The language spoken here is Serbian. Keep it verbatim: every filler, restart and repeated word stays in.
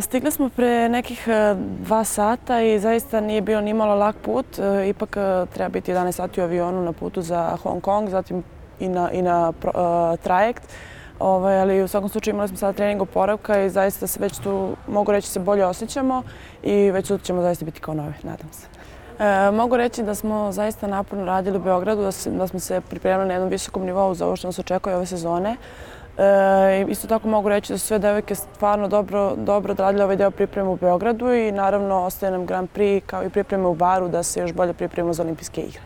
Stigli smo pre nekih dva sata i zaista nije bio ni malo lak put. Ipak treba biti jedanaest sati u avionu na putu za Hong Kong, zatim i na, i na trajekt. Ovaj, ali u svakom slučaju imali smo sada trening oporavka i zaista se već tu, mogu reći, se bolje osjećamo i već sutra ćemo zaista biti kao novi, nadam se. E, mogu reći da smo zaista naporno radili u Beogradu, da, se, da smo se pripremili na jednom visokom nivou za ovo što nas očekuje ove sezone. E, isto tako mogu reći da su sve devojke stvarno dobro, dobro odradile ovaj deo pripreme u Beogradu i naravno ostaje nam Grand Prix kao i pripreme u Baru da se još bolje pripremimo za olimpijske igre.